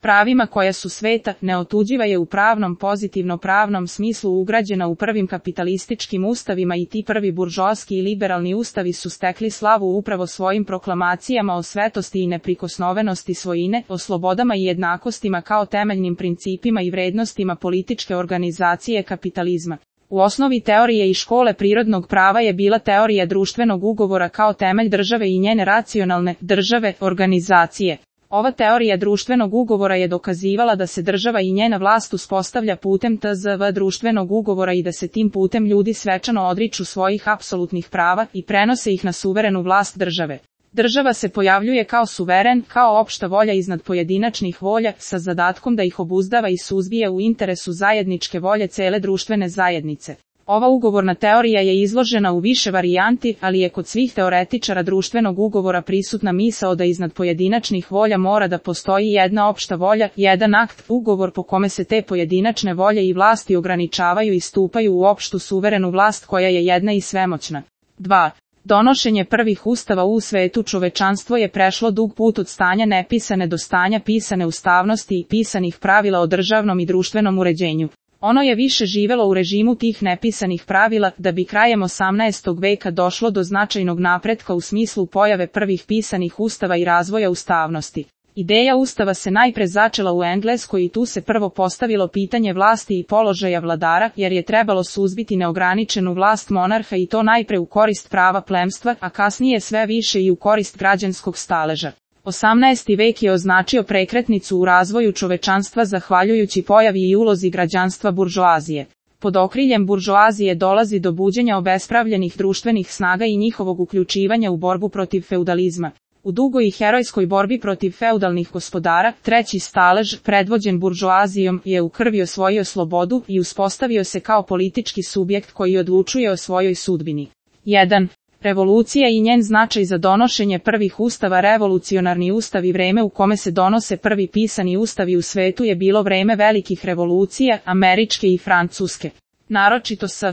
pravima koja su sveta, neotuđiva je u pravnom pozitivno-pravnom smislu ugrađena u prvim kapitalističkim ustavima i ti prvi buržoaski i liberalni ustavi su stekli slavu upravo svojim proklamacijama o svetosti i neprikosnovenosti svojine, o slobodama i jednakostima kao temeljnim principima i vrednostima političke organizacije kapitalizma. U osnovi teorije i škole prirodnog prava je bila teorija društvenog ugovora kao temelj države i njene racionalne države, organizacije. Ova teorija društvenog ugovora je dokazivala da se država i njena vlast uspostavlja putem tzv. društvenog ugovora i da se tim putem ljudi svečano odriču svojih apsolutnih prava i prenose ih na suverenu vlast države. Država se pojavljuje kao suveren, kao opšta volja iznad pojedinačnih volja, sa zadatkom da ih obuzdava i suzbija u interesu zajedničke volje cele društvene zajednice. Ova ugovorna teorija je izložena u više varijanti, ali je kod svih teoretičara društvenog ugovora prisutna misao da iznad pojedinačnih volja mora da postoji jedna opšta volja, jedan akt, ugovor po kome se te pojedinačne volje i vlasti ograničavaju i stupaju u opštu suverenu vlast koja je jedna i svemoćna. 2. Donošenje prvih ustava u svetu čovečanstvo je prešlo dug put od stanja nepisane do stanja pisane ustavnosti i pisanih pravila o državnom i društvenom uređenju. Ono je više živelo u režimu tih nepisanih pravila, da bi krajem 18. veka došlo do značajnog napretka u smislu pojave prvih pisanih ustava i razvoja ustavnosti. Ideja ustava se najpre začela u Engleskoj i tu se prvo postavilo pitanje vlasti i položaja vladara, jer je trebalo suzbiti neograničenu vlast monarha i to najpre u korist prava plemstva, a kasnije sve više i u korist građanskog staleža. 18. vek je označio prekretnicu u razvoju čovečanstva zahvaljujući pojavi i ulozi građanstva buržoazije. Pod okriljem buržoazije dolazi do buđenja obespravljenih društvenih snaga i njihovog uključivanja u borbu protiv feudalizma. U dugoj i herojskoj borbi protiv feudalnih gospodara, treći stalež, predvođen buržoazijom, je u krvi osvojio slobodu i uspostavio se kao politički subjekt koji odlučuje o svojoj sudbini. 1. Revolucija i njen značaj za donošenje prvih ustava. Revolucionarni ustav i vreme u kome se donose prvi pisani ustavi u svetu je bilo vreme velikih revolucija, američke i francuske. Naročito s